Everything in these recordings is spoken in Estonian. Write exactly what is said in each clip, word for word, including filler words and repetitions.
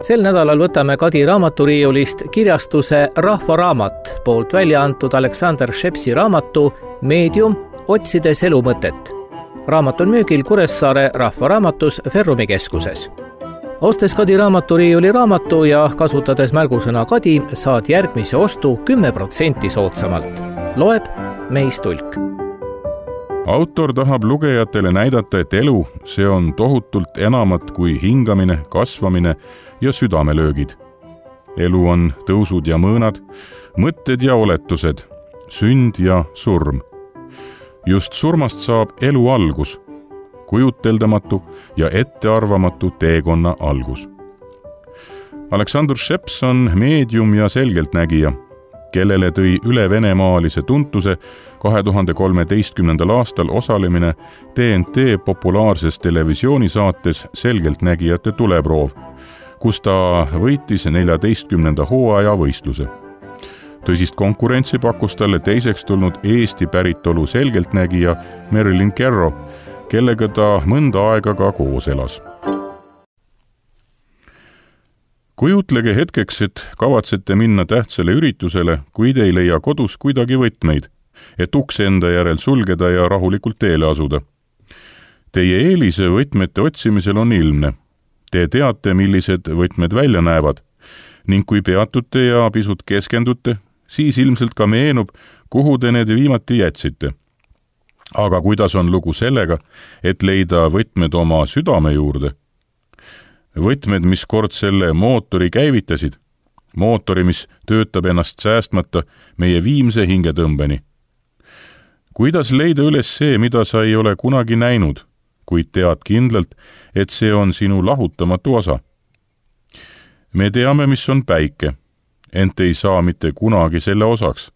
Sel nädalal võtame Kadi raamaturiiulist kirjastuse Rahvaraamat poolt välja antud Alexander Schepsi raamatu Meedium, otsides elu mõtet. Raamat on müügil Kuressaare Rahvaraamatus Ferrumi keskuses. Ostes Kadi raamaturiiuli raamatu ja kasutades märgusõna Kadi, saad järgmise ostu kümme protsenti soodsamalt. Loeb Meis Tulk. Autor tahab lugejatele näidata, et elu, see on tohutult enamat kui hingamine, kasvamine ja südamelöögid. Elu on tõusud ja mõõnad, mõtted ja oletused, sünd ja surm. Just surmast saab elu algus, kujuteldamatu ja ettearvamatu teekonna algus. Alexander Scheps on meedium ja selgeltnägija, kellele tõi üle venemaalise tuntuse kahe tuhande kolmeteistkümnendal aastal osalemine T N T populaarses televisioonisaates Selgeltnägijate tuleproov, kus ta võitis neljateistkümnenda hooaja võistluse. Tõsist konkurentsi pakkus talle teiseks tulnud Eesti päritolu selgeltnägija Marilyn Kerro, kellega ta mõnda aega ka koos elas. Kujutlege hetkeks, et kavatsete minna tähtsale üritusele, kuid ei leia kodus kuidagi võtmeid, et uks enda järel sulgeda ja rahulikult teele asuda. Teie eelise võtmete otsimisel on ilmne. Te teate, millised võtmed välja näevad, ning kui peatute ja pisut keskendute, siis ilmselt ka meenub, kuhu te need viimati jätsite. Aga kuidas on lugu sellega, et leida võtmed oma südame juurde? Võtmed, mis kord selle mootori käivitasid, mootori, mis töötab ennast säästmata meie viimse hingetõmbeni. Kuidas leida üles see, mida sa ei ole kunagi näinud, kuid tead kindlalt, et see on sinu lahutamatu osa? Me teame, mis on päike, ent ei saa mitte kunagi selle osaks.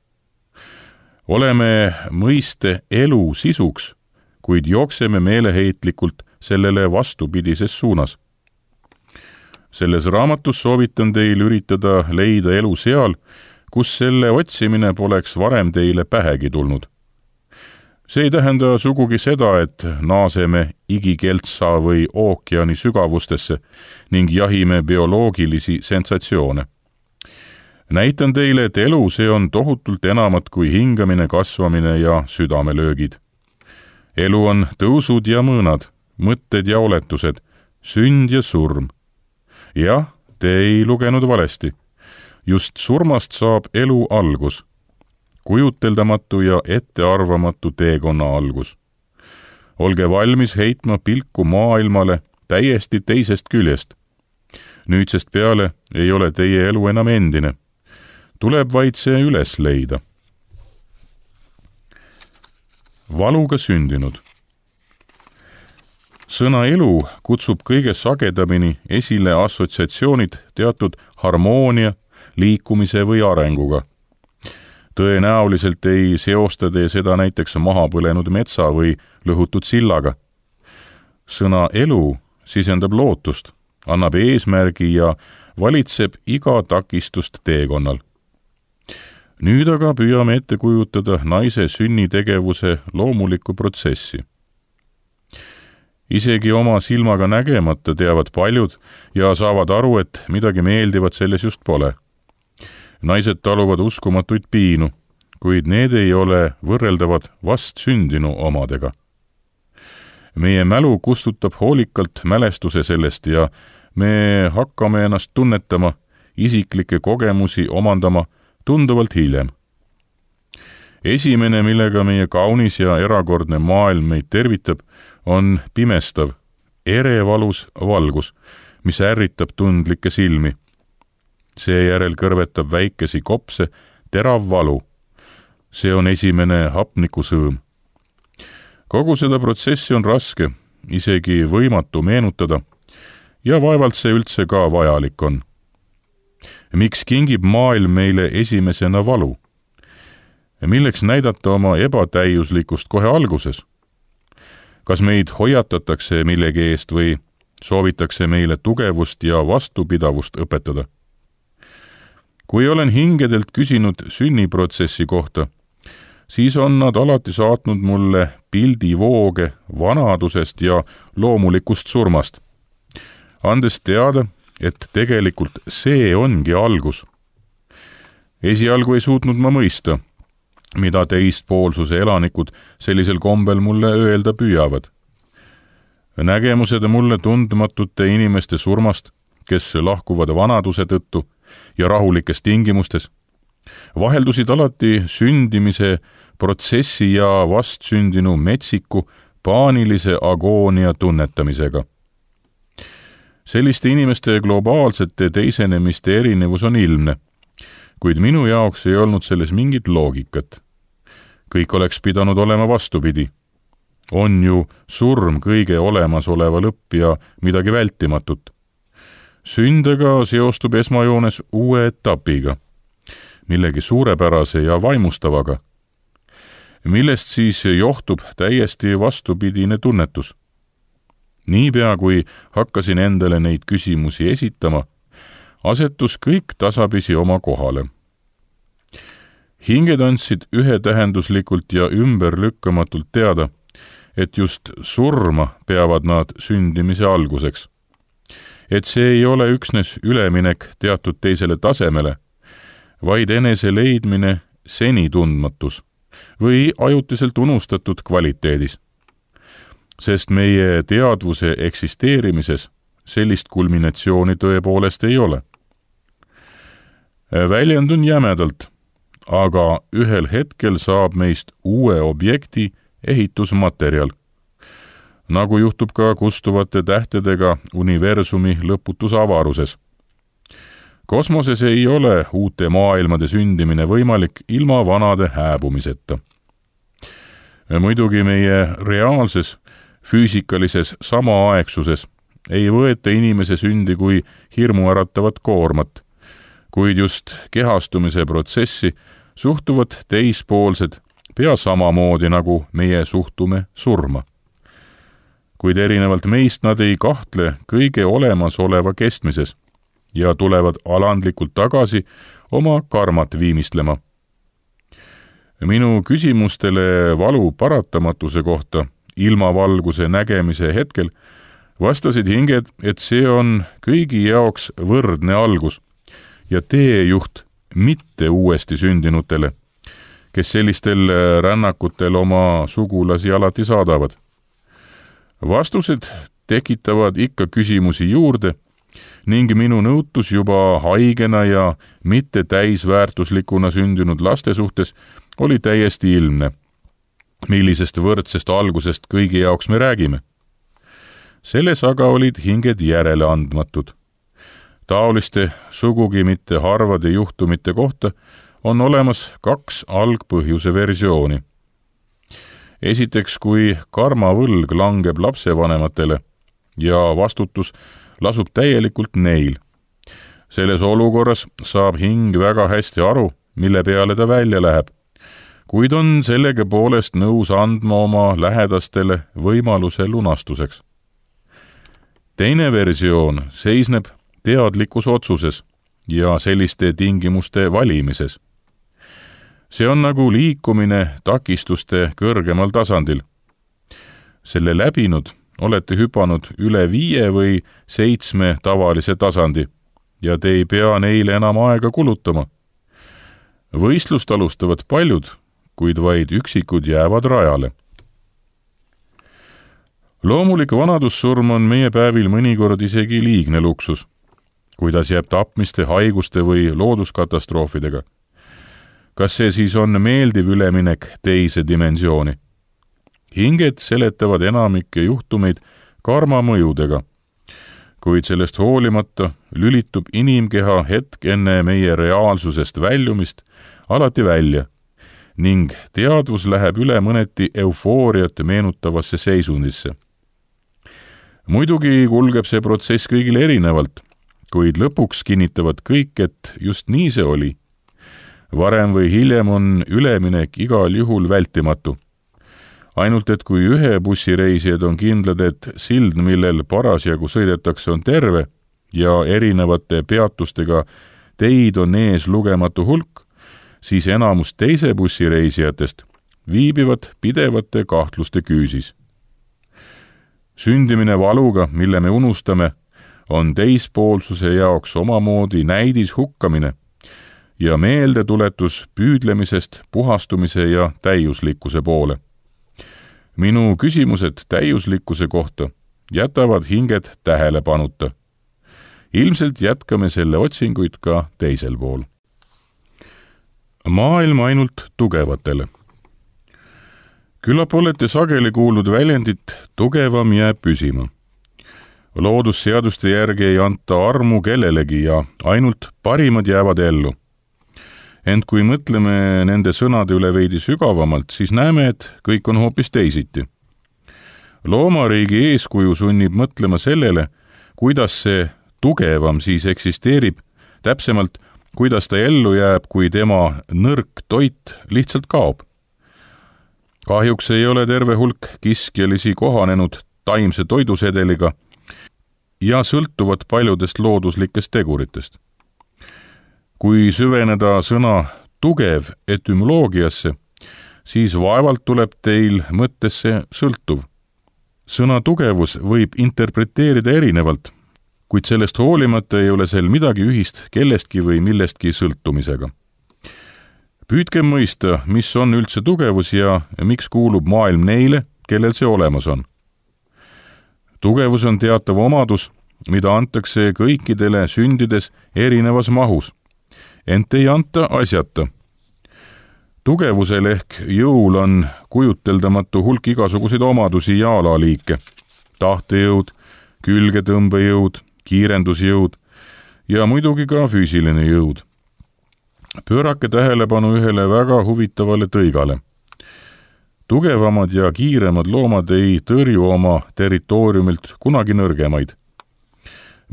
Oleme mõiste elu sisuks, kuid jookseme meeleheitlikult sellele vastupidises suunas. Selles raamatus soovitan teil üritada leida elu seal, kus selle otsimine poleks varem teile pähegi tulnud. See ei tähenda sugugi seda, et naaseme igikeltsa või ookeani sügavustesse ning jahime bioloogilisi sensatsioone. Näitan teile, et elu see on tohutult enamat kui hingamine, kasvamine ja südamelöögid. Elu on tõusud ja mõõnad, mõtted ja oletused, sünd ja surm. Jah, te ei lugenud valesti. Just surmast saab elu algus, kujuteldamatu ja ettearvamatu teekonna algus. Olge valmis heitma pilku maailmale täiesti teisest küljest. Nüüdsest peale ei ole teie elu enam endine. Tuleb vaid see üles leida. Valuga sündinud. Sõna elu kutsub kõige sagedamini esile assotsiatsioonid teatud harmoonia, liikumise või arenguga. Tõenäoliselt ei seosta te seda näiteks maha põlenud metsa või lõhutud sillaga. Sõna elu sisendab lootust, annab eesmärgi ja valitseb iga takistust teekonnal. Nüüd aga püüame ette kujutada naise sünnitegevuse loomulikku protsessi. Isegi oma silmaga nägemata teavad paljud ja saavad aru, et midagi meeldivat selles just pole. Naised taluvad uskumatuid piinu, kuid need ei ole võrreldavad vast sündinu omadega. Meie mälu kustutab hoolikalt mälestuse sellest ja me hakkame ennast tunnetama, isiklikke kogemusi omandama tunduvalt hiljem. Esimene, millega meie kaunis ja erakordne maailm meid tervitab, on pimestav, erevalus valgus, mis ärritab tundlikke silmi. Seejärel kõrvetab väikesi kopse terav valu. See on esimene hapnikusõõm. Kogu seda protsessi on raske, isegi võimatu meenutada, ja vaevalt see üldse ka vajalik on. Miks kingib maailm meile esimesena valu? Milleks näidata oma ebatäiuslikkust kohe alguses? Kas meid hoiatatakse millegi eest või soovitakse meile tugevust ja vastupidavust õpetada? Kui olen hingedelt küsinud sünniprotsessi kohta, siis on nad alati saatnud mulle pildivooge vanadusest ja loomulikust surmast, andes teada, et tegelikult see ongi algus. Esialgu ei suutnud ma mõista, mida teistpoolsuse elanikud sellisel kombel mulle öelda püüavad. Nägemused mulle tundmatute inimeste surmast, kes lahkuvad vanaduse tõttu ja rahulikes tingimustes, vaheldusid alati sündimise protsessi ja vastsündinu metsiku paanilise agoonia tunnetamisega. Selliste inimeste globaalsete teisenemiste erinevus on ilmne, kuid minu jaoks ei olnud selles mingit loogikat. Kõik oleks pidanud olema vastupidi. On ju surm kõige olemasoleva lõpp ja midagi vältimatut. Sündega seostub esmajoones uue etapiga, millegi suurepärase ja vaimustavaga, millest siis johtub täiesti vastupidine tunnetus. Niipea kui hakkasin endale neid küsimusi esitama, asetus kõik tasapisi oma kohale. Hinged andsid ühetähenduslikult ja ümberlükkamatult teada, et just surma peavad nad sündimise alguseks. Et see ei ole üksnes üleminek teatud teisele tasemele, vaid enese leidmine seni tundmatus või ajutiselt unustatud kvaliteedis. Sest meie teadvuse eksisteerimises sellist kulminatsiooni tõepoolest ei ole. Väljendun jämedalt, aga ühel hetkel saab meist uue objekti ehitusmaterjal, nagu juhtub ka kustuvate tähtedega universumi lõputus avaruses. Kosmoses ei ole uute maailmade sündimine võimalik ilma vanade hääbumiseta. Muidugi meie reaalses füüsikalises samaaegsuses ei võeta inimese sündi kui hirmuäratavat koormat, kuid just kehastumise protsessi suhtuvad teispoolsed pea samamoodi, nagu meie suhtume surma. Kuid erinevalt meist nad ei kahtle kõige olemasoleva kestmises ja tulevad alandlikult tagasi oma karmat viimistlema. Minu küsimustele valu paratamatuse kohta ilmavalguse nägemise hetkel vastasid hinged, et see on kõigi jaoks võrdne algus ja teejuht mitte uuesti sündinutele, kes sellistel rännakutel oma sugulasi alati saadavad. Vastused tekitavad ikka küsimusi juurde ning minu nõutus juba haigena ja mitte täisväärtuslikuna sündinud laste suhtes oli täiesti ilmne, millisest võrdsest algusest kõigi jaoks me räägime. Selles aga olid hinged järele andmatud. Taoliste sugugi mitte harvade juhtumite kohta on olemas kaks algpõhjuse versiooni. Esiteks, kui karmavõlg langeb lapsevanematele ja vastutus lasub täielikult neil. Selles olukorras saab hing väga hästi aru, mille peale ta välja läheb, kuid on sellega poolest nõus andma oma lähedastele võimaluse lunastuseks. Teine versioon seisneb teadlikus otsuses ja selliste tingimuste valimises. See on nagu liikumine takistuste kõrgemal tasandil. Selle läbinud olete hüpanud üle viie või seitsme tavalise tasandi ja te ei pea neile enam aega kulutama. Võistlust alustavad paljud, kuid vaid üksikud jäävad rajale. Loomulik vanadussurm on meie päevil mõnikord isegi liigne luksus, kuidas jääb tapmiste, haiguste või looduskatastroofidega. Kas see siis on meeldiv üleminek teise dimensiooni? Hinged seletavad enamikke juhtumeid karma mõjudega, kuid sellest hoolimata lülitub inimkeha hetk enne meie reaalsusest väljumist alati välja ning teadvus läheb üle mõneti eufooriat meenutavasse seisundisse. Muidugi kulgeb see protsess kõigile erinevalt, kuid lõpuks kinnitavad kõik, et just nii see oli. Varem või hiljem on üleminek igal juhul vältimatu. Ainult et kui ühe bussireisijad on kindlad, et sild, millel parasjagu sõidetakse, on terve ja erinevate peatustega teid on ees lugematu hulk, siis enamus teise bussireisijatest viibivad pidevate kahtluste küüsis. Sündimine valuga, mille me unustame, on teispoolsuse jaoks omamoodi näidis hukkamine ja meeldetuletus püüdlemisest puhastumise ja täiuslikkuse poole. Minu küsimused täiuslikkuse kohta jätavad hinged tähelepanuta. Ilmselt jätkame selle otsinguid ka teisel pool. Maailm ainult tugevatele. Küllap olete sageli kuulnud väljendit tugevam jääb püsima. Loodusseaduste järgi ei anta armu kellelegi ja ainult parimad jäävad ellu. Ent kui mõtleme nende sõnade üle veidi sügavamalt, siis näeme, et kõik on hoopis teisiti. Loomariigi eeskuju sunnib mõtlema sellele, kuidas see tugevam siis eksisteerib, täpsemalt, kuidas ta ellu jääb, kui tema nõrk toit lihtsalt kaob. Kahjuks ei ole terve hulk kiskjalisi kohanenud taimse toidusedeliga ja sõltuvad paljudest looduslikest teguritest. Kui süveneda sõna tugev etümoloogiasse, siis vaevalt tuleb teil mõttesse sõltuv. Sõna tugevus võib interpreteerida erinevalt, kuid sellest hoolimata ei ole sel midagi ühist kellestki või millestki sõltumisega. Püüdkem mõista, mis on üldse tugevus ja miks kuulub maailm neile, kellel see olemas on. Tugevus on teatav omadus, mida antakse kõikidele sündides erinevas mahus, ent ei anta asjata. Tugevusel ehk jõul on kujuteldamatu hulk igasuguseid omadusi ja alaliike, tahtejõud, külgetõmbejõud, kiirendusjõud ja muidugi ka füüsiline jõud. Pöörake tähelepanu ühele väga huvitavale tõigale. Tugevamad ja kiiremad loomad ei tõrju oma territooriumilt kunagi nõrgemaid.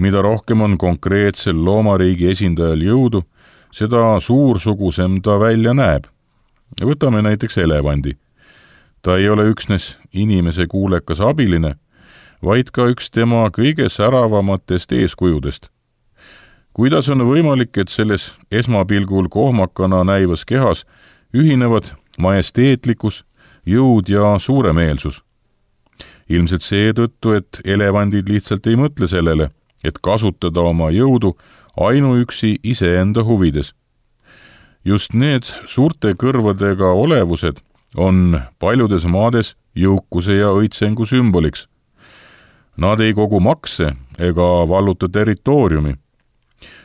Mida rohkem on konkreetsel loomariigi esindajal jõudu, seda suursugusem ta välja näeb. Võtame näiteks elevandi. Ta ei ole üksnes inimese kuulekas abiline, vaid ka üks tema kõige säravamatest eeskujudest. Kuidas on võimalik, et selles esmapilgul kohmakana näivas kehas ühinevad majesteetlikkus, jõud ja suuremeelsus? Ilmselt seetõttu, et elevandid lihtsalt ei mõtle sellele, et kasutada oma jõudu ainuüksi iseenda huvides. Just need suurte kõrvadega olevused on paljudes maades jõukuse ja õitsengu sümboliks. Nad ei kogu makse ega valluta territooriumi,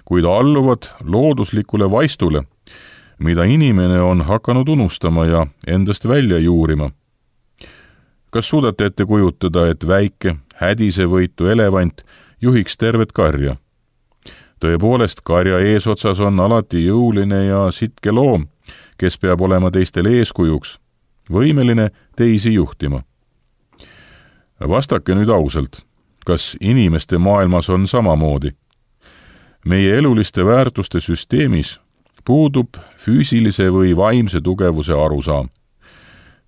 kuid alluvad looduslikule vaistule, mida inimene on hakanud unustama ja endast välja juurima. Kas suudate ette kujutada, et väike, hädisevõitu elevant juhiks tervet karja? Tõepoolest, karja eesotsas on alati jõuline ja sitke loom, kes peab olema teistele eeskujuks, võimeline teisi juhtima. Vastake nüüd ausalt, kas inimeste maailmas on samamoodi? Meie eluliste väärtuste süsteemis puudub füüsilise või vaimse tugevuse arusaam.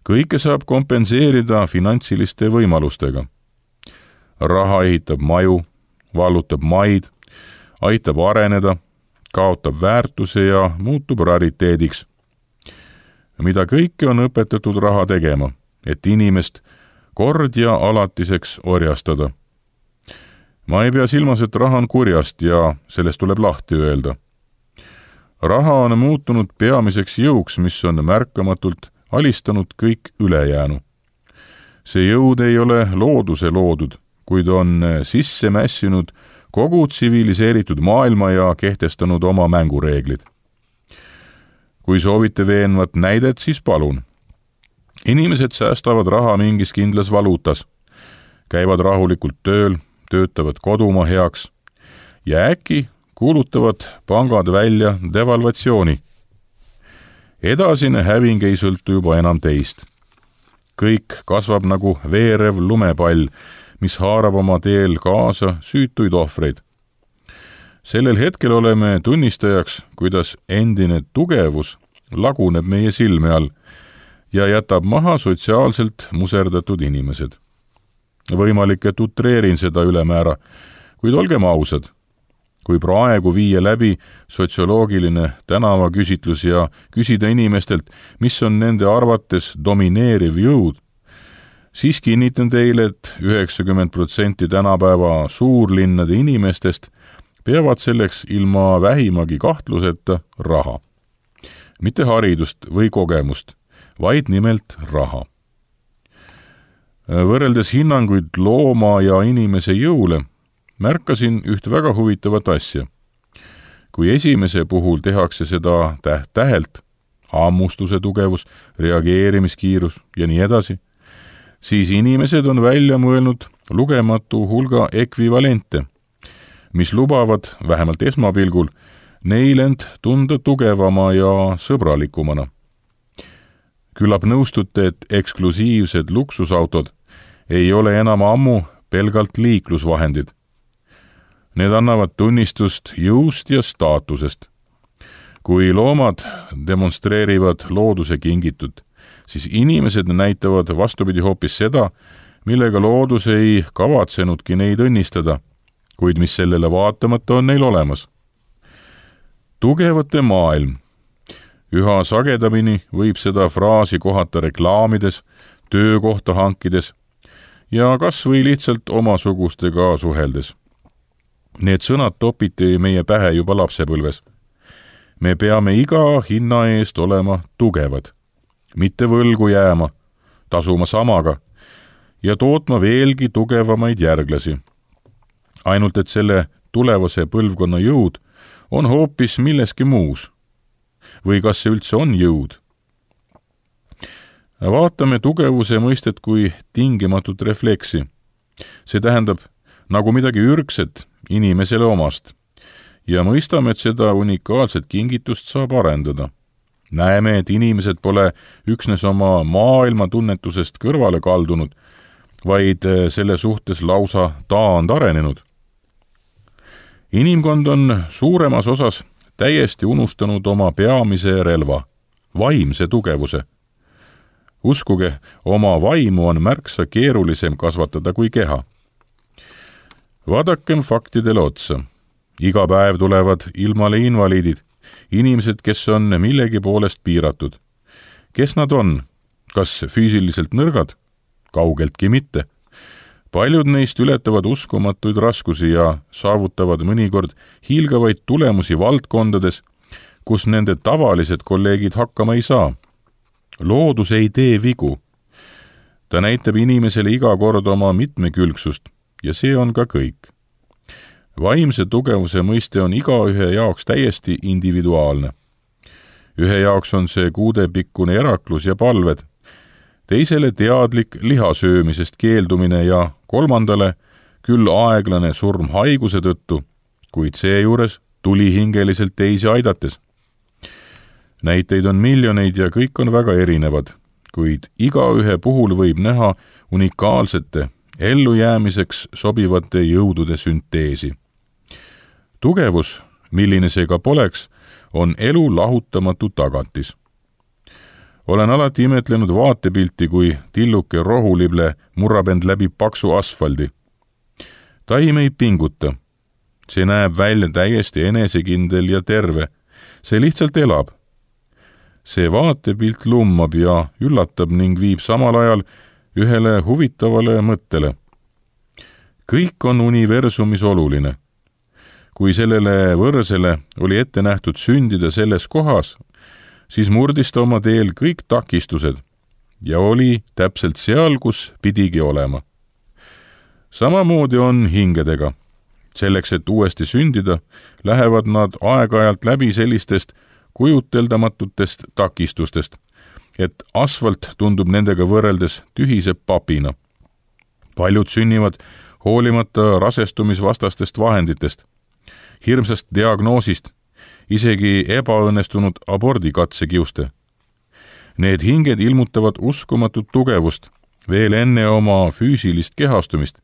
Kõike saab kompenseerida finantsiliste võimalustega. Raha ehitab maju, vallutab maid, aitab areneda, kaotab väärtuse ja muutub rariteediks. Mida kõike on õpetatud raha tegema, et inimest kord ja alatiseks orjastada. Ma ei pea silmas, et raha on kurjast ja sellest tuleb lahti öelda. Raha on muutunud peamiseks jõuks, mis on märkamatult alistanud kõik ülejäänu. See jõud ei ole looduse loodud, kuid on sisse mässinud kogu tsiviliseeritud maailma ja kehtestanud oma mängureeglid. Kui soovite veenvat näidet, siis palun. Inimesed säästavad raha mingis kindlas valuutas, käivad rahulikult tööl, töötavad kodumaa heaks ja äkki kuulutavad pangad välja devalvatsiooni. Edasine häving ei sõltu juba enam teist. Kõik kasvab nagu veerev lumepall, mis haarab oma teel kaasa süütuid ohvreid. Sellel hetkel oleme tunnistajaks, kuidas endine tugevus laguneb meie silme all ja jätab maha sotsiaalselt muserdatud inimesed. Võimalik, et utreerin seda ülemäära, kuid olgem ausad. Kui praegu viia läbi sotsioloogiline tänavaküsitlus ja küsida inimestelt, mis on nende arvates domineeriv jõud, siis kinnitan teile, et üheksakümmend protsenti tänapäeva suurlinnade inimestest peavad selleks ilma vähimagi kahtluseta raha. Mitte haridust või kogemust, vaid nimelt raha. Võrreldes hinnanguid looma ja inimese jõule, märkasin üht väga huvitavat asja. Kui esimese puhul tehakse seda täht-tähelt, hammustuse tugevus, reageerimiskiirus ja nii edasi, siis inimesed on välja mõelnud lugematu hulga ekvivalente, mis lubavad, vähemalt esmapilgul, neil end tunda tugevama ja sõbralikumana. Küllap nõustute, et eksklusiivsed luksusautod ei ole enam ammu pelgalt liiklusvahendid. Need annavad tunnistust jõust ja staatusest. Kui loomad demonstreerivad looduse kingitut, siis inimesed näitavad vastupidi hoopis seda, millega loodus ei kavatsenudki neid õnnistada, kuid mis sellele vaatamata on neil olemas. Tugevate maailm. Üha sagedamini võib seda fraasi kohata reklaamides, töökohta hankides ja kas või lihtsalt omasugustega suheldes. Need sõnad topiti meie pähe juba lapsepõlves. Me peame iga hinna eest olema tugevad, mitte võlgu jääma, tasuma samaga ja tootma veelgi tugevamaid järglasi. Ainult et selle tulevase põlvkonna jõud on hoopis milleski muus. Või kas see üldse on jõud? Vaatame tugevuse mõistet kui tingimatut refleksi. See tähendab nagu midagi ürgset inimesele omast ja mõistame, et seda unikaalset kingitust saab arendada. Näeme, et inimesed pole üksnes oma maailma tunnetusest kõrvale kaldunud, vaid selle suhtes lausa taand arenenud. Inimkond on suuremas osas täiesti unustanud oma peamise relva, vaimse tugevuse. Uskuge, oma vaimu on märksa keerulisem kasvatada kui keha. Vaadakem faktidele otsa. Iga päev tulevad ilmale invaliidid, inimesed, kes on millegi poolest piiratud. Kes nad on? Kas füüsiliselt nõrgad? Kaugeltki mitte. Paljud neist ületavad uskumatuid raskusi ja saavutavad mõnikord hiilgavaid tulemusi valdkondades, kus nende tavalised kolleegid hakkama ei saa. Loodus ei tee vigu. Ta näitab inimesele iga kord oma mitmekülgsust ja see on ka kõik. Vaimse tugevuse mõiste on igaühe jaoks täiesti individuaalne. Ühe jaoks on see kuudepikkune eraklus ja palved, teisele teadlik lihasöömisest keeldumine ja kolmandale küll aeglane surm haiguse tõttu, kuid seejuures tulihingeliselt teisi aidates. Näiteid on miljoneid ja kõik on väga erinevad, kuid igaühe puhul võib näha unikaalsete, ellujäämiseks sobivate jõudude sünteesi. Tugevus, milline see ka poleks, on elu lahutamatu tagatis. Olen alati imetlenud vaatepilti, kui tilluke rohulible murrab end läbi paksu asfaldi. Taim ei pinguta. See näeb välja täiesti enesekindel ja terve. See lihtsalt elab. See vaatepilt lummab ja üllatab ning viib samal ajal ühele huvitavale mõttele. Kõik on universumis oluline. Kui sellele võrsele oli ette nähtud sündida selles kohas, siis murdis ta oma teel kõik takistused ja oli täpselt seal, kus pidigi olema. Samamoodi on hingedega. Selleks, et uuesti sündida, lähevad nad aeg-ajalt läbi sellistest kujuteldamatutest takistustest, et asfalt tundub nendega võrreldes tühise papina. Paljud sünnivad hoolimata rasestumisvastastest vahenditest, hirmsast diagnoosist, isegi ebaõnnestunud abordikatsekiuste. Need hinged ilmutavad uskumatut tugevust veel enne oma füüsilist kehastumist,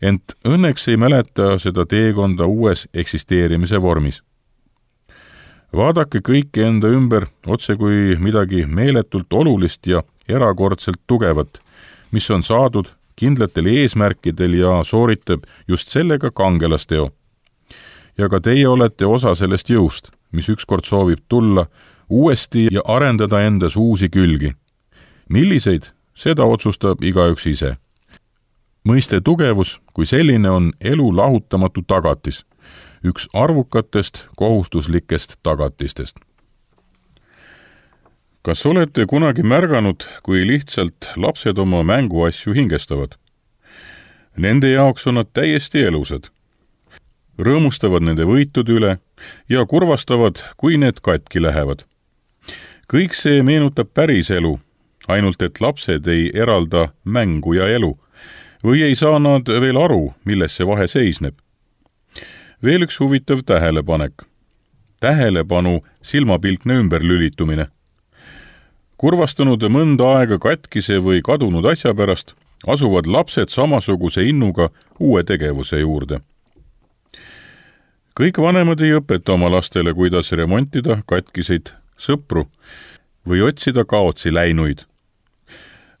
ent õnneks ei mäleta seda teekonda uues eksisteerimise vormis. Vaadake kõike enda ümber otse kui midagi meeletult olulist ja erakordselt tugevat, mis on saadud kindlatel eesmärkidel ja sooritab just sellega kangelasteo. Ja ka teie olete osa sellest jõust, mis ükskord soovib tulla uuesti ja arendada endas uusi külgi. Milliseid, seda otsustab igaüks ise. mõiste tugevus kui selline on elu lahutamatu tagatis, üks arvukatest kohustuslikest tagatistest. Kas olete kunagi märganud, kui lihtsalt lapsed oma mänguasju hingestavad? Nende jaoks on nad täiesti elusad. Rõõmustavad nende võitude üle ja kurvastavad, kui need katki lähevad. Kõik see meenutab päris elu, ainult et lapsed ei eralda mängu ja elu või ei saa nad veel aru, milles see vahe seisneb. Veel üks huvitav tähelepanek. Tähelepanu silmapilkne ümberlülitumine. Kurvastanud mõnda aega katkise või kadunud asja pärast asuvad lapsed samasuguse innuga uue tegevuse juurde. Kõik vanemad ei õpeta oma lastele, kuidas remontida katkiseid sõpru või otsida kaotsi läinuid.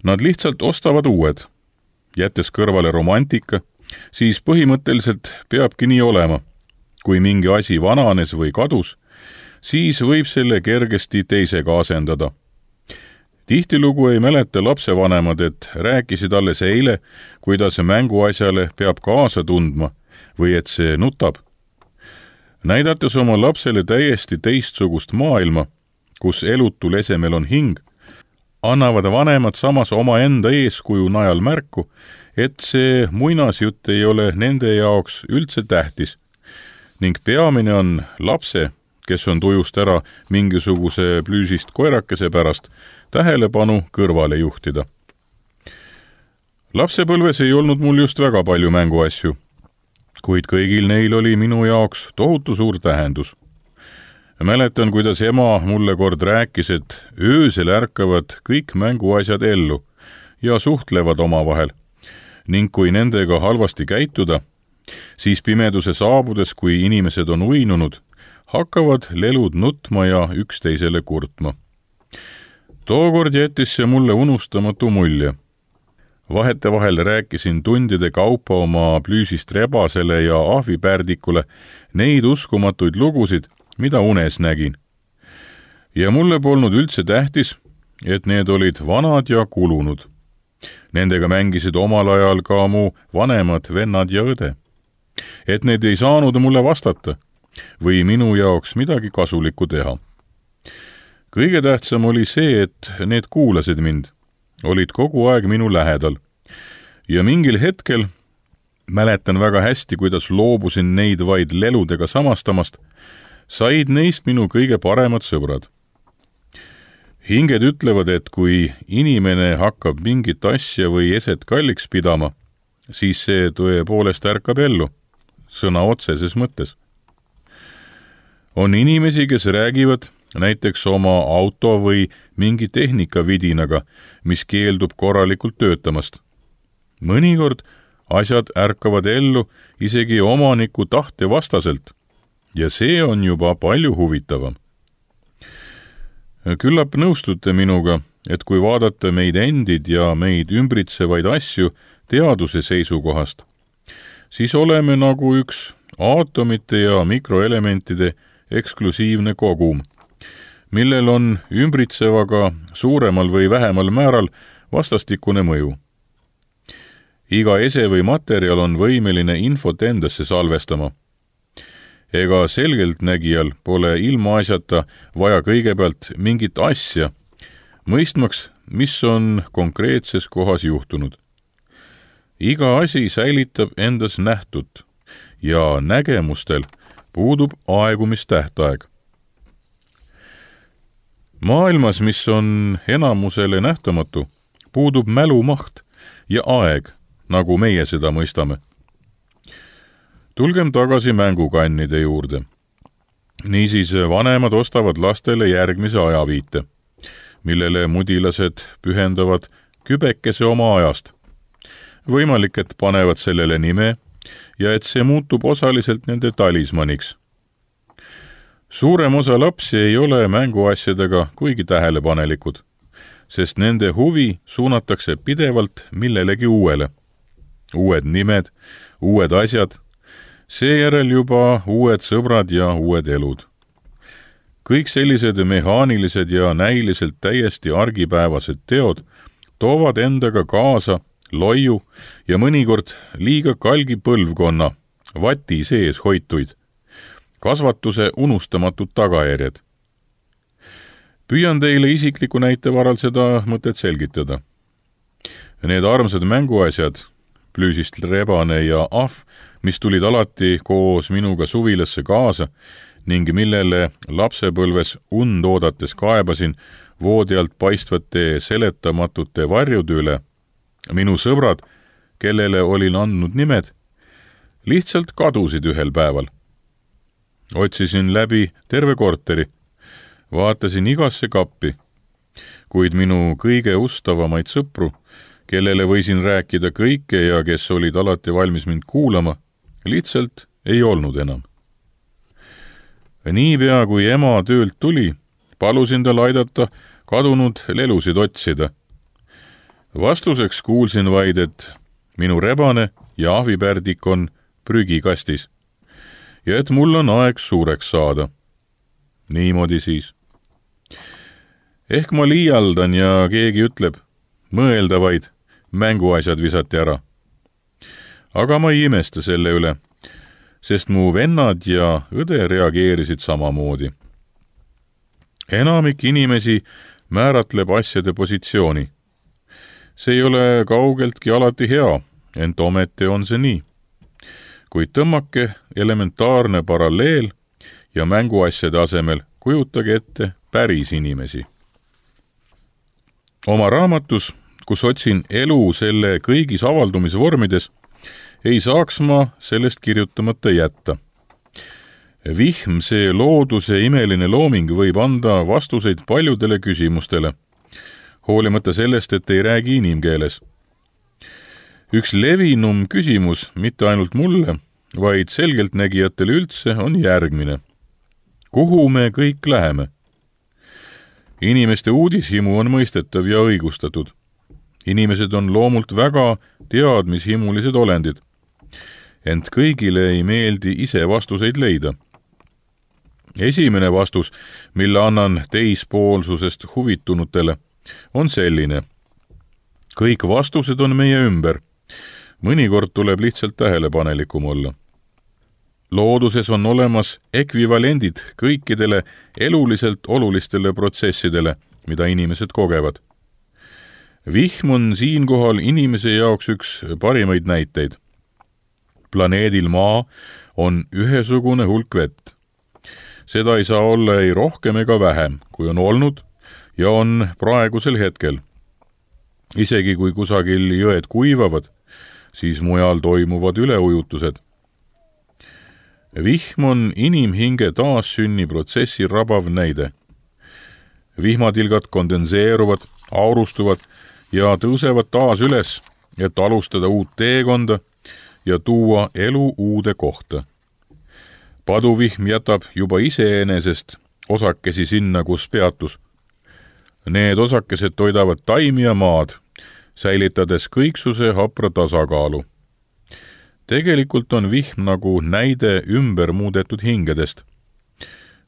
Nad lihtsalt ostavad uued. Jättes kõrvale romantika, siis põhimõtteliselt peabki nii olema. Kui mingi asi vananes või kadus, siis võib selle kergesti teisega asendada. Tihtilugu ei mäleta lapsevanemad, et rääkisid alles eile, kuidas mänguasjale peab kaasa tundma või et see nutab. Näidates oma lapsele täiesti teistsugust maailma, kus elutul esemel on hing, annavad vanemad samas oma enda eeskuju najal märku, et see muinasjutt ei ole nende jaoks üldse tähtis ning peamine on lapse, kes on tujust ära mingisuguse plüüsist koerakese pärast, tähelepanu kõrvale juhtida. Lapsepõlves ei olnud mul just väga palju mänguasju, kuid kõigil neil oli minu jaoks tohutu suur tähendus. Mäletan, kuidas ema mulle kord rääkis, et öösel ärkavad kõik mänguasjad ellu ja suhtlevad omavahel ning kui nendega halvasti käituda, siis pimeduse saabudes, kui inimesed on uinunud, hakkavad lelud nutma ja üksteisele kurtma. Tookord jättis see mulle unustamatu mulje. Vahetevahel rääkisin tundide kaupa oma plüüsist rebasele ja ahvipärdikule neid uskumatuid lugusid, mida unes nägin. Ja mulle polnud üldse tähtis, et need olid vanad ja kulunud. Nendega mängisid omal ajal ka mu vanemad vennad ja õde. Et need ei saanud mulle vastata või minu jaoks midagi kasulikku teha. Kõige tähtsam oli see, et need kuulasid mind, olid kogu aeg minu lähedal. Ja mingil hetkel mäletan väga hästi, kuidas loobusin neid vaid leludega samastamast, said neist minu kõige paremad sõbrad. Hinged ütlevad, et kui inimene hakkab mingit asja või eset kalliks pidama, siis see tõepoolest ärkab ellu, sõna otseses mõttes. On inimesi, kes räägivad näiteks oma auto või mingi tehnikavidinaga, mis keeldub korralikult töötamast. Mõnikord asjad ärkavad ellu isegi omaniku tahte vastaselt ja see on juba palju huvitavam. Küllap nõustute minuga, et kui vaadata meid endid ja meid ümbritsevaid asju teaduse seisukohast, siis oleme nagu üks aatomite ja mikroelementide eksklusiivne kogum, millel on ümbritsevaga suuremal või vähemal määral vastastikune mõju. Iga ese või materjal on võimeline infot endasse salvestama. Ega selgeltnägijal pole ilmaasjata vaja kõigepealt mingit asja, mõistmaks, mis on konkreetses kohas juhtunud. Iga asi säilitab endas nähtut ja nägemustel puudub aegumistähtaeg. Maailmas, mis on enamusele nähtamatu, puudub mälumaht ja aeg, nagu meie seda mõistame. Tulgem tagasi mängukannide juurde. Niisiis vanemad ostavad lastele järgmise ajaviite, millele mudilased pühendavad kübekese oma ajast. Võimalik, et panevad sellele nime ja et see muutub osaliselt nende talismaniks. Suurem osa lapsi ei ole mänguasjadega kuigi tähelepanelikud, sest nende huvi suunatakse pidevalt millelegi uuele. Uued nimed, uued asjad, seejärel juba uued sõbrad ja uued elud. Kõik sellised mehaanilised ja näiliselt täiesti argipäevased teod toovad endaga kaasa loiu ja mõnikord liiga kalgi põlvkonna, vati sees hoituid, kasvatuse unustamatud tagajärjed. Püüan teile isikliku näite varal seda mõtet selgitada. Need armsad mänguasjad, plüüsist rebane ja ahv, mis tulid alati koos minuga suvilasse kaasa ning millele lapsepõlves und oodates kaebasin voodi alt paistvate seletamatute varjude üle, minu sõbrad, kellele olin andnud nimed, lihtsalt kadusid ühel päeval. Otsisin läbi terve korteri, vaatasin igasse kappi, kuid minu kõige ustavamaid sõpru, kellele võisin rääkida kõike ja kes olid alati valmis mind kuulama, lihtsalt ei olnud enam. Niipea kui ema töölt tuli, palusin tal aidata kadunud lelusid otsida. Vastuseks kuulsin vaid, et minu rebane ja ahvipärdik on prügikastis ja et mul on aeg suureks saada. Niimoodi siis. Ehk ma liialdan ja keegi ütleb, mõelda vaid, mänguasjad visati ära. Aga ma ei imesta selle üle, sest mu vennad ja õde reageerisid samamoodi. Enamik inimesi määratleb asjade positsiooni. See ei ole kaugeltki alati hea, ent ometi on see nii. Kuid tõmmake elementaarne paralleel ja mänguasjade asemel kujutage ette päris inimesi. Oma raamatus, kus otsin elu selle kõigis avaldumisvormides, ei saaks ma sellest kirjutamata jätta. Vihm, see looduse imeline looming, võib anda vastuseid paljudele küsimustele, hoolimata sellest, et ei räägi inimkeeles. Üks levinum küsimus, mitte ainult mulle, vaid selgeltnägijatele üldse, on järgmine. Kuhu me kõik läheme? Inimeste uudishimu on mõistetav ja õigustatud. Inimesed on loomult väga teadmishimulised olendid, ent kõigile ei meeldi ise vastuseid leida. Esimene vastus, mille annan teispoolsusest huvitunutele, on selline. Kõik vastused on meie ümber. Mõnikord tuleb lihtsalt tähelepanelikum olla. Looduses on olemas ekvivalendid kõikidele eluliselt olulistele protsessidele, mida inimesed kogevad. Vihm on siinkohal inimese jaoks üks parimaid näiteid. Planeedil Maa on ühesugune hulk vett. Seda ei saa olla ei rohkem ega vähem, kui on olnud ja on praegusel hetkel. Isegi kui kusagil jõed kuivavad, siis mujal toimuvad üleujutused. Vihm on inimhinge taassünni protsessi rabav näide. Vihmatilgad kondenseeruvad, aurustuvad ja tõusevad taas üles, et alustada uut teekonda ja tuua elu uude kohta. Paduvihm jätab juba iseenesest osakesi sinna, kus peatus. Need osakesed toidavad taimi ja maad, säilitades kõiksuse hapra tasakaalu. Tegelikult on vihm nagu näide ümber muudetud hingedest.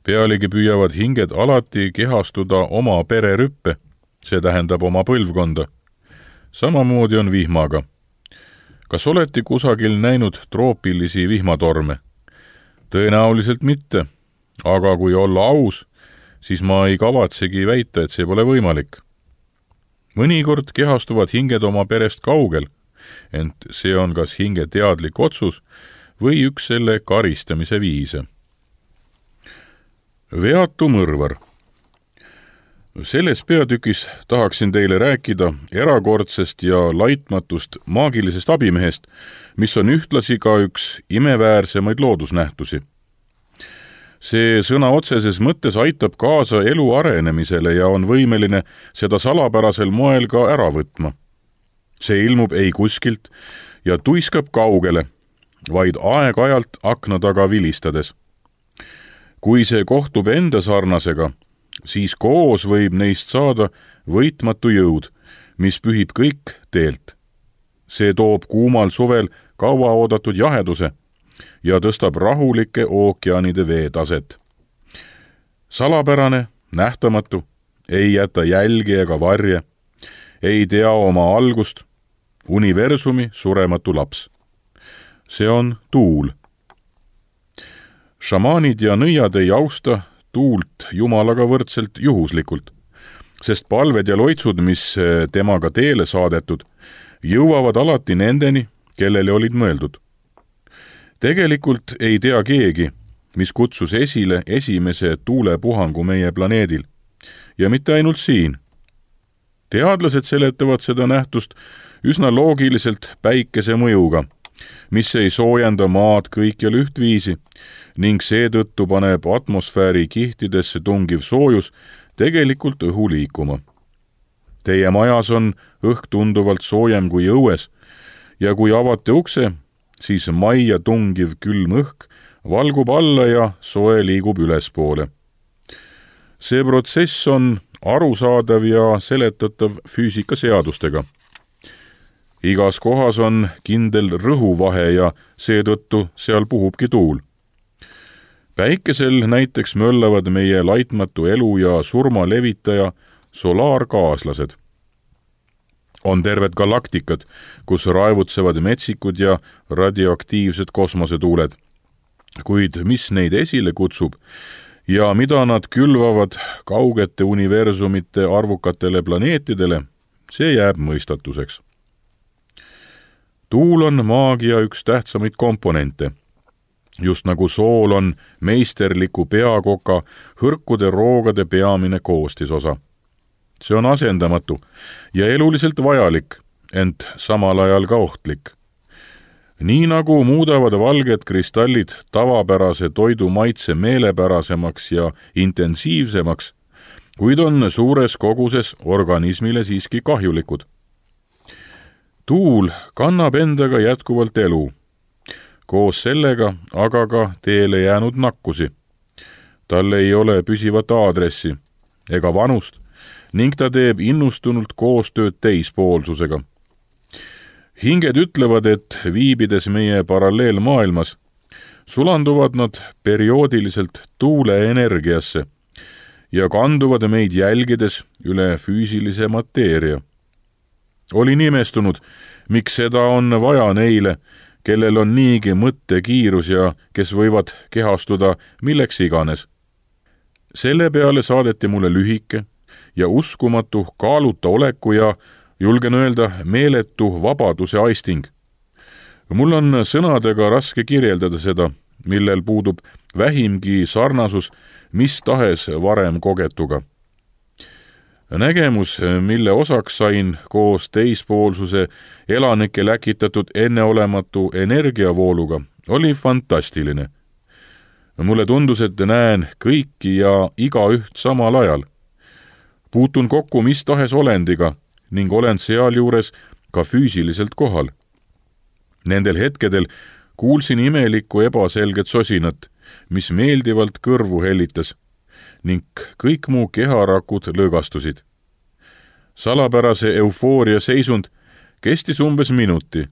Pealegi püüavad hinged alati kehastuda oma pererüppe, see tähendab oma põlvkonda. Samamoodi on vihmaga. Kas olete kusagil näinud troopilisi vihmatorme? Tõenäoliselt mitte, aga kui olla aus, siis ma ei kavatsegi väita, et see pole võimalik. Mõnikord kehastuvad hinged oma perest kaugel, ent see on kas hinge teadlik otsus või üks selle karistamise viise. Veatu mõrvar. Selles peatükis tahaksin teile rääkida erakordsest ja laitmatust maagilisest abimehest, mis on ühtlasi ka üks imeväärsemaid loodusnähtusi. See sõna otseses mõttes aitab kaasa elu arenemisele ja on võimeline seda salapärasel moel ka ära võtma. See ilmub ei kuskilt ja tuiskab kaugele, vaid aeg-ajalt akna taga vilistades. Kui see kohtub enda sarnasega, siis koos võib neist saada võitmatu jõud, mis pühib kõik teelt. See toob kuumal suvel kaua oodatud jaheduse ja tõstab rahulike ookeanide veetaset. Salapärane, nähtamatu, ei jäta jälgi ega varje, ei tea oma algust, universumi surematu laps. See on tuul. Šamaanid ja nõiad ei austa tuult Jumalaga võrdselt juhuslikult, sest palved ja loitsud, mis temaga teele saadetud, jõuavad alati nendeni, kellele olid mõeldud. Tegelikult ei tea keegi, mis kutsus esile esimese tuulepuhangu meie planeedil. Ja mitte ainult siin. Teadlased seletavad seda nähtust üsna loogiliselt päikese mõjuga, mis ei soojenda maad kõikjal ühtviisi ning seetõttu paneb atmosfääri kihtidesse tungiv soojus tegelikult õhu liikuma. Teie majas on õhk tunduvalt soojem kui õues ja kui avate ukse, siis majja tungiv külm õhk valgub alla ja soe liigub ülespoole. See protsess on arusaadav ja seletatav füüsikaseadustega. Igas kohas on kindel rõhuvahe ja seetõttu seal puhubki tuul. Päikesel näiteks möllavad meie laitmatu elu ja surma levitaja solaarkaaslased. On terved galaktikad, kus raevutsevad metsikud ja radioaktiivsed kosmosetuuled. Kuid mis neid esile kutsub ja mida nad külvavad kaugete universumite arvukatele planeetidele, see jääb mõistatuseks. Tuul on maagia üks tähtsamaid komponente. Just nagu sool on meisterliku peakoka hõrkude roogade peamine koostisosa. See on asendamatu ja eluliselt vajalik, ent samal ajal ka ohtlik. Nii nagu muudavad valged kristallid tavapärase toidu maitse meelepärasemaks ja intensiivsemaks, kuid on suures koguses organismile siiski kahjulikud. Tuul kannab endaga jätkuvalt elu, koos sellega aga ka teele jäänud nakkusi. Tal ei ole püsivat aadressi ega vanust ning ta teeb innustunult koostööd teispoolsusega. Hinged ütlevad, et viibides meie paralleelmaailmas, sulanduvad nad perioodiliselt tuule energiasse ja kanduvad meid jälgides üle füüsilise mateeria. Olin imestunud, miks seda on vaja neile, kellel on niigi mõttekiirus ja kes võivad kehastuda milleks iganes. Selle peale saadeti mulle lühike ja uskumatu kaaluta oleku ja julgen öelda meeletu vabaduse aisting. Mul on sõnadega raske kirjeldada seda, millel puudub vähimgi sarnasus mis tahes varem kogetuga. Nägemus, mille osaks sain koos teispoolsuse elanike läkitatud enneolematu energiavooluga, oli fantastiline. Mulle tundus, et näen kõiki ja igaüht samal ajal. Puutun kokku mis tahes olendiga ning olen sealjuures ka füüsiliselt kohal. Nendel hetkedel kuulsin imelikku ebaselget sosinat, mis meeldivalt kõrvu hellitas ning kõik mu keharakud lõõgastusid. Salapärase eufooria seisund kestis umbes minuti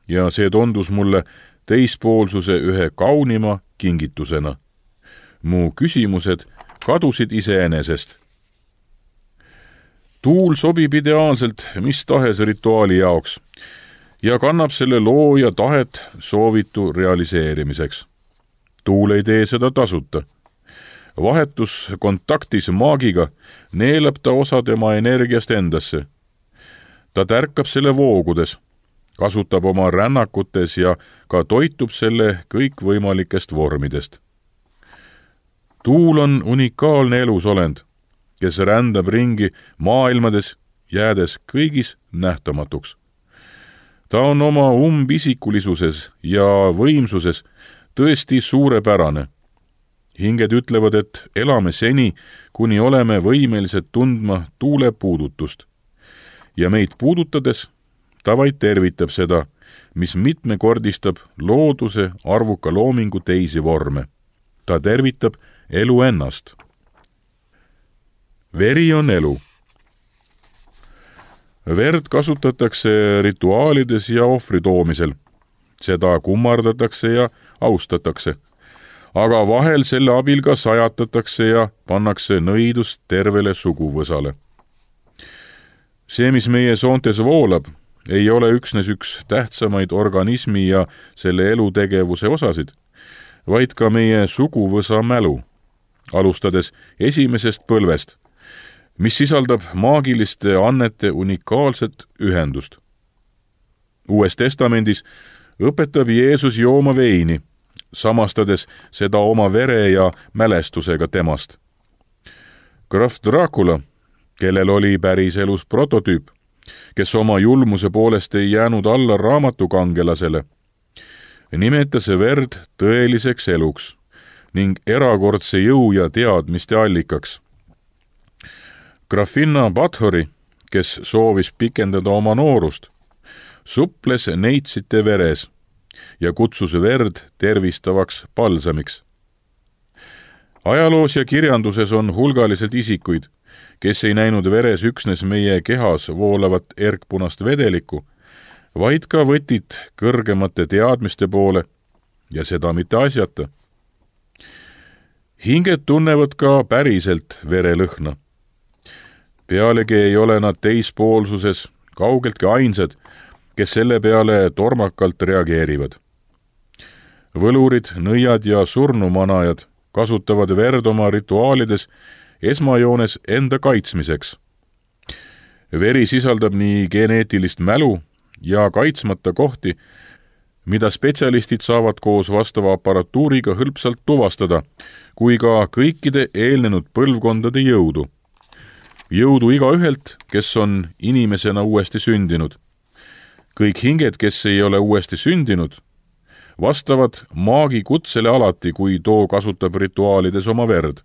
ja see tundus mulle teispoolsuse ühe kaunima kingitusena. Mu küsimused kadusid iseenesest. Tuul sobib ideaalselt mis tahes rituaali jaoks ja kannab selle looja tahet soovitu realiseerimiseks. Tuul ei tee seda tasuta. Vahetus kontaktis maagiga neelab ta osa tema energiast endasse. Ta tärkab selle voogudes, kasutab oma rännakutes ja ka toitub selle kõikvõimalikest vormidest. Tuul on unikaalne elusolend, kes rändab ringi maailmades, jäädes kõigis nähtamatuks. Ta on oma umbisikulisuses ja võimsuses tõesti suurepärane. Hinged ütlevad, et elame seni, kuni oleme võimelised tundma tuule puudutust. Ja meid puudutades ta vaid tervitab seda, mis mitmekordistab looduse arvuka loomingu teisi vorme. Ta tervitab elu ennast. Veri on elu. Verd kasutatakse rituaalides ja ohvri toomisel. Seda kummardatakse ja austatakse. Aga vahel selle abil ka sajatatakse ja pannakse nõidus tervele suguvõsale. see, mis meie soontes voolab, ei ole üksnes üks tähtsamaid organismi ja selle elutegevuse osasid, vaid ka meie suguvõsa mälu, alustades esimesest põlvest, mis sisaldab maagiliste annete unikaalset ühendust. Uues testamendis õpetab Jeesus jooma veini, samastades seda oma vere ja mälestusega temast. Graf Dracula, kellel oli päriselus prototüüp, kes oma julmuse poolest ei jäänud alla raamatukangelasele, nimetas verd tõeliseks eluks ning erakordse jõu ja teadmiste allikaks. Grafinna Bathori, kes soovis pikendada oma noorust, suples neitsite veres ja kutsus verd tervistavaks palsamiks. Ajaloos ja kirjanduses on hulgaliselt isikuid, kes ei näinud veres üksnes meie kehas voolavat erkpunast vedelikku, vaid ka võtit kõrgemate teadmiste poole ja seda mitte asjata. Hinged tunnevad ka päriselt verelõhna. Pealegi ei ole nad teispoolsuses kaugeltki ainsad, kes selle peale tormakalt reageerivad. Võlurid, nõiad ja surnumanajad kasutavad verd oma rituaalides esmajoones enda kaitsmiseks. Veri sisaldab nii geneetilist mälu ja kaitsmata kohti, mida spetsialistid saavad koos vastava aparatuuriga hõlpsalt tuvastada, kui ka kõikide eelnenud põlvkondade jõudu. Jõudu igaühelt, kes on inimesena uuesti sündinud. Kõik hinged, kes ei ole uuesti sündinud, vastavad maagi kutsele alati, kui too kasutab rituaalides oma verd.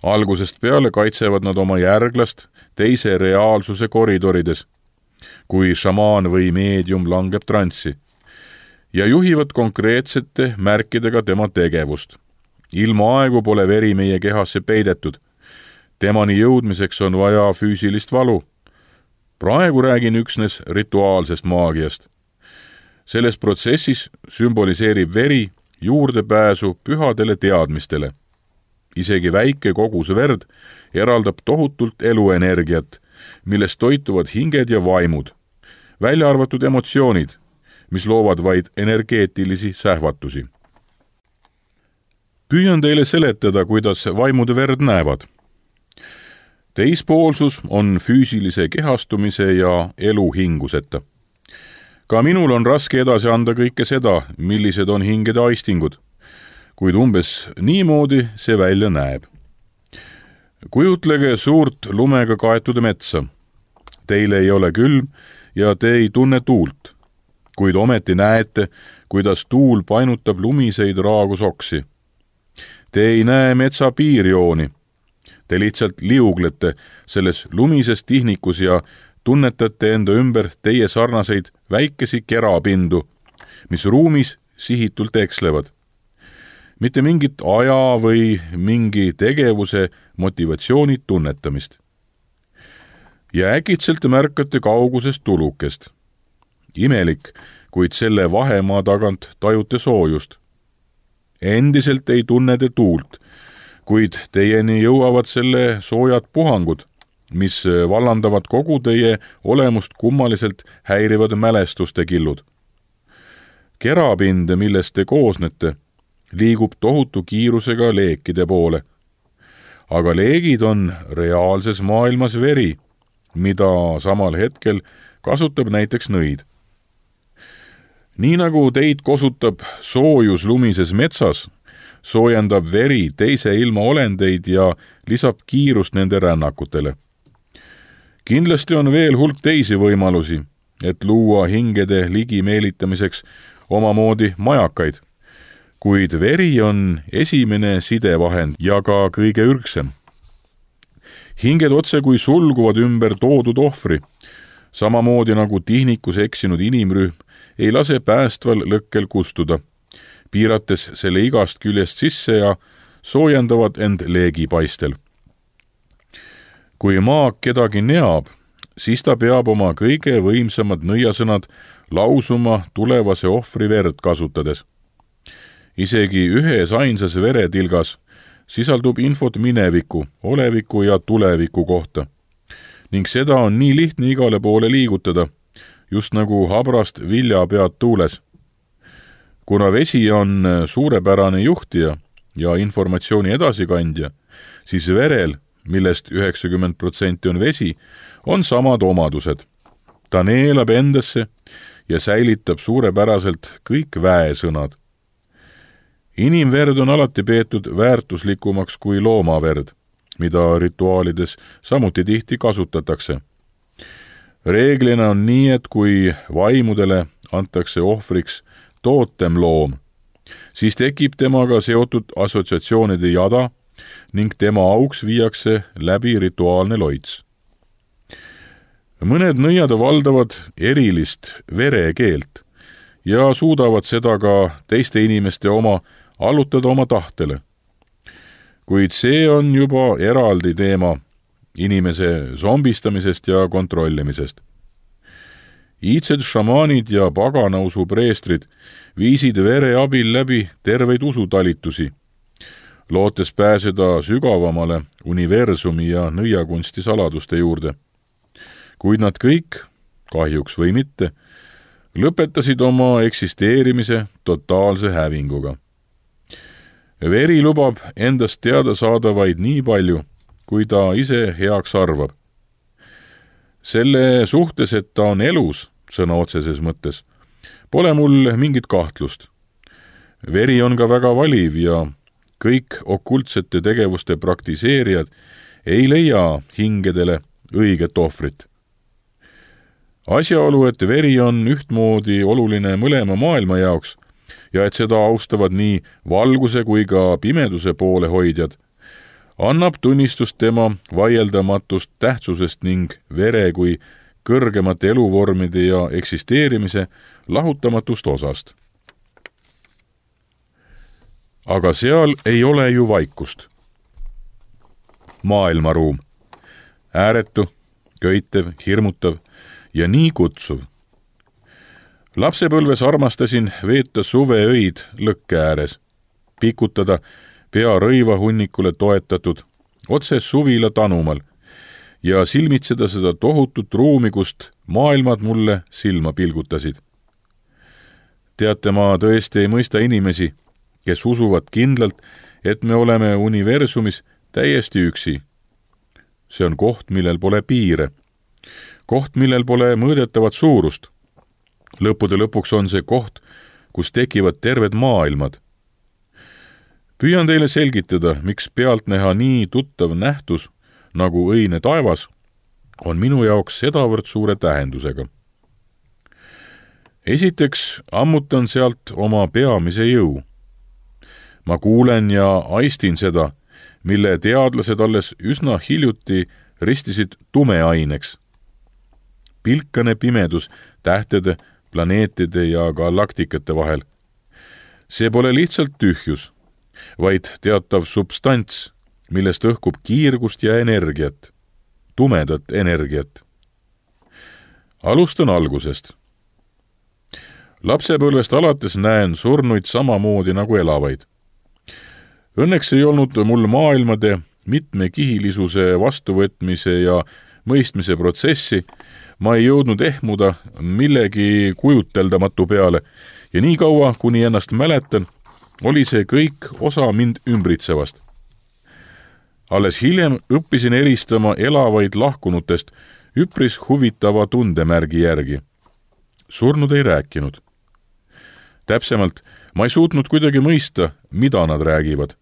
Algusest peale kaitsevad nad oma järglast teise reaalsuse koridorides, kui šamaan või meedium langeb transsi, ja juhivad konkreetsete märkidega tema tegevust. Ilma aegu pole veri meie kehasse peidetud. Temani jõudmiseks on vaja füüsilist valu. Praegu räägin üksnes rituaalsest maagiast. Selles protsessis sümboliseerib veri juurdepääsu pühadele teadmistele. Isegi väike kogus verd eraldab tohutult eluenergiat, millest toituvad hinged ja vaimud, välja arvatud emotsioonid, mis loovad vaid energeetilisi sähvatusi. Püüan teile seletada, kuidas vaimud verd näevad. Teispoolsus on füüsilise kehastumise ja elu hinguseta. Ka minul on raske edasi anda kõike seda, millised on hingede aistingud, kuid umbes niimoodi see välja näeb. Kujutlege suurt lumega kaetud metsa. Teile ei ole külm ja te ei tunne tuult, kuid ometi näete, kuidas tuul painutab lumiseid raagusoksi. Te ei näe metsa piirjooni. Te lihtsalt liuglete selles lumises tihnikus ja tunnetate enda ümber teie sarnaseid väikesi kerapindu, mis ruumis sihitult ekslevad. Mitte mingit aja või mingi tegevuse motivatsiooni tunnetamist. Ja äkitselt märkate kaugusest tulukest. Imelik, kuid selle vahemaa tagant tajute soojust. Endiselt ei tunne te tuult, kuid teieni jõuavad selle soojad puhangud, mis vallandavad kogu teie olemust kummaliselt häirivad mälestuste killud. Kerapind, millest te koosnete, liigub tohutu kiirusega leekide poole. Aga leegid on reaalses maailmas veri, mida samal hetkel kasutab näiteks nõid. Nii nagu teid kosutab soojus lumises metsas, soojendab veri teise ilma olendeid ja lisab kiirust nende rännakutele. Kindlasti on veel hulk teisi võimalusi, et luua hingede ligi meelitamiseks omamoodi majakaid, kuid veri on esimene sidevahend ja ka kõige ürgsem. Hinged otse kui sulguvad ümber toodud ohvri, samamoodi nagu tihnikus eksinud inimrühm ei lase päästval lõkkel kustuda, piirates selle igast küljest sisse ja soojendavad end leegipaistel. Kui maag kedagi neab, siis ta peab oma kõige võimsamad nõiasõnad lausuma tulevase ohvri verd kasutades. Isegi ühes ainsas veretilgas sisaldub infot mineviku, oleviku ja tuleviku kohta, ning seda on nii lihtne igale poole liigutada, just nagu habrast viljapead tuules. Kuna vesi on suurepärane juhtija ja informatsiooni edasikandja, siis verel, millest üheksakümmend protsenti on vesi, on samad omadused. Ta neelab endasse ja säilitab suurepäraselt kõik väesõnad. Inimverd on alati peetud väärtuslikumaks kui loomaverd, mida rituaalides samuti tihti kasutatakse. Reeglina on nii, et kui vaimudele antakse ohvriks tootem loom, siis tekib temaga seotud assotsiatsioonide jada ning tema auks viiakse läbi rituaalne loits. Mõned nõiad valdavad erilist verekeelt ja suudavad seda ka teiste inimeste oma allutada oma tahtele. Kuid see on juba eraldi teema inimese zombistamisest ja kontrollimisest. Iidsed šamaanid ja paganausu preestrid viisid vere abil läbi terveid usutalitusi, lootes pääseda sügavamale universumi ja nõiakunsti saladuste juurde. Kuid nad kõik, kahjuks või mitte, lõpetasid oma eksisteerimise totaalse hävinguga. Veri lubab endast teada saada vaid nii palju, kui ta ise heaks arvab. Selle suhtes, et ta on elus, sõna otseses mõttes, pole mul mingit kahtlust. Veri on ka väga valiv ja kõik okultsete tegevuste praktiseerijad ei leia hingedele õiget ohvrit. Asjaolu, et veri on ühtmoodi oluline mõlema maailma jaoks ja et seda austavad nii valguse kui ka pimeduse poole hoidjad, annab tunnistust tema vaieldamatust tähtsusest ning vere kui kõrgemate eluvormide ja eksisteerimise lahutamatust osast. Aga seal ei ole ju vaikust. Maailmaruum. Ääretu, köitev, hirmutav ja nii kutsuv. Lapsepõlves armastasin veeta suveöid lõkke ääres, pikutada pea rõivahunnikule toetatud, otse suvila tanumal ja silmitseda seda tohutut ruumi, kust maailmad mulle silma pilgutasid. Teate, ma tõesti ei mõista inimesi, kes usuvad kindlalt, et me oleme universumis täiesti üksi. See on koht, millel pole piire. Koht, millel pole mõõdetavat suurust. Lõppude lõpuks on see koht, kus tekivad terved maailmad. Püüan teile selgitada, miks pealtnäha nii tuttav nähtus, nagu õine taevas, on minu jaoks sedavõrd suure tähendusega. Esiteks ammutan sealt oma peamise jõu. Ma kuulen ja aistin seda, mille teadlased alles üsna hiljuti ristisid tumeaineks. Pilkane pimedus tähtede, planeetide ja galaktikate vahel. See pole lihtsalt tühjus, vaid teatav substants, millest õhkub kiirgust ja energiat, tumedat energiat. Alustan algusest. Lapsepõlvest alates näen surnuid samamoodi nagu elavaid. Õnneks ei olnud mul maailmade mitmekihilisuse vastuvõtmise ja mõistmise protsessi, ma ei jõudnud ehmuda millegi kujuteldamatu peale ja nii kaua, kuni ennast mäletan, oli see kõik osa mind ümbritsevast. Alles hiljem õppisin eristama elavaid lahkunutest üpris huvitava tundemärgi järgi. Surnud ei rääkinud. Täpsemalt, ma ei suutnud kuidagi mõista, mida nad räägivad.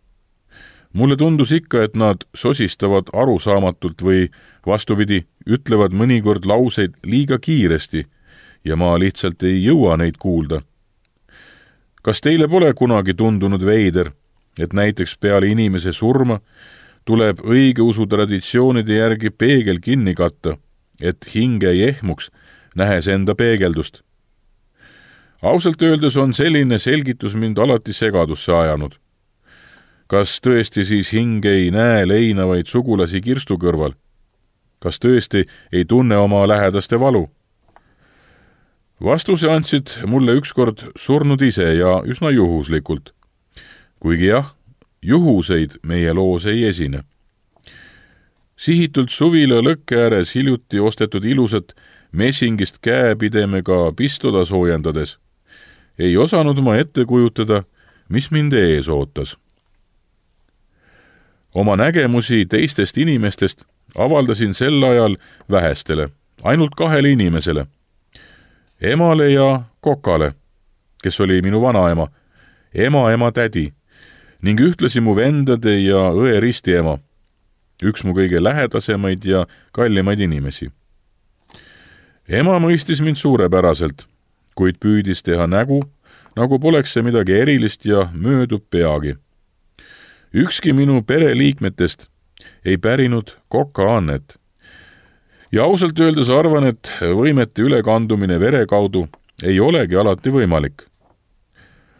Mulle tundus ikka, et nad sosistavad arusaamatult või vastupidi, ütlevad mõnikord lauseid liiga kiiresti ja ma lihtsalt ei jõua neid kuulda. Kas teile pole kunagi tundunud veider, et näiteks peale inimese surma tuleb õigeusu traditsioonide järgi peegel kinni katta, et hinge ei ehmuks, nähes enda peegeldust? Ausalt öeldes on selline selgitus mind alati segadusse ajanud. Kas tõesti siis hing ei näe leinavaid sugulasi kirstu kõrval? Kas tõesti ei tunne oma lähedaste valu? Vastuse andsid mulle ükskord surnud ise ja üsna juhuslikult. Kuigi jah, juhuseid meie loos ei esine. Sihitult suvila lõkke ääres hiljuti ostetud ilusat messingist käepidemega pistola soojendades ei osanud ma ette kujutada, mis mind ees ootas. Oma nägemusi teistest inimestest avaldasin sel ajal vähestele, ainult kahele inimesele, emale ja kokale, kes oli minu vanaema, ema ema tädi ning ühtlasi mu vendade ja õe ristiema, üks mu kõige lähedasemaid ja kallimaid inimesi. Ema mõistis mind suurepäraselt, kuid püüdis teha nägu, nagu poleks see midagi erilist ja möödub peagi. Ükski minu pereliikmetest ei pärinud koka annet. Ja ausalt öeldes arvan, et võimete ülekandumine vere kaudu ei olegi alati võimalik.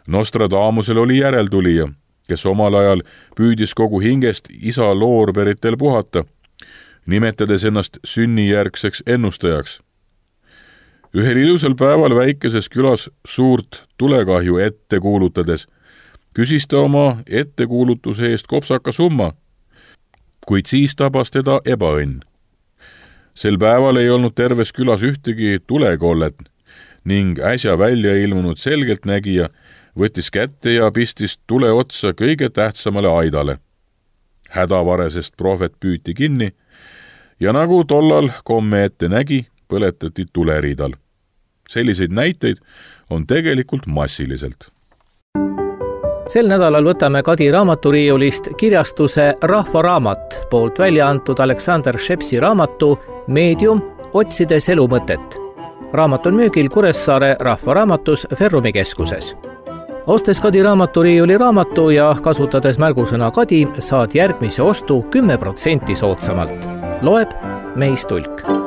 Nostradamusel oli järeltulija, kes omal ajal püüdis kogu hingest isa loorberitel puhata, nimetades ennast sünnijärgseks ennustajaks. Ühel ilusal päeval väikeses külas suurt tulekahju ette kuulutades küsis ta oma ettekuulutuse eest kopsaka summa, kuid siis tabas teda ebaõnn. Sel päeval ei olnud terves külas ühtegi tulekollet ning äsja välja ilmunud selgeltnägija võttis kätte ja pistis tule otsa kõige tähtsamale aidale. Hädavaresest prohvet püüti kinni ja nagu tollal komme ette nägi, põletati tuleriidal. Selliseid näiteid on tegelikult massiliselt. Sel nädalal võtame Kadi raamaturiiulist kirjastuse Rahva Raamat poolt välja antud Alexander Shepsi raamatu Meedium, otsides elu mõtet. Raamat on müügil Kuressaare Rahvaraamatus Ferrumi keskuses. Ostes Kadi raamaturiiuli raamatu ja kasutades märgusõna Kadi, saad järgmise ostu kümme protsenti soodsamalt. Loeb Meis Tulk.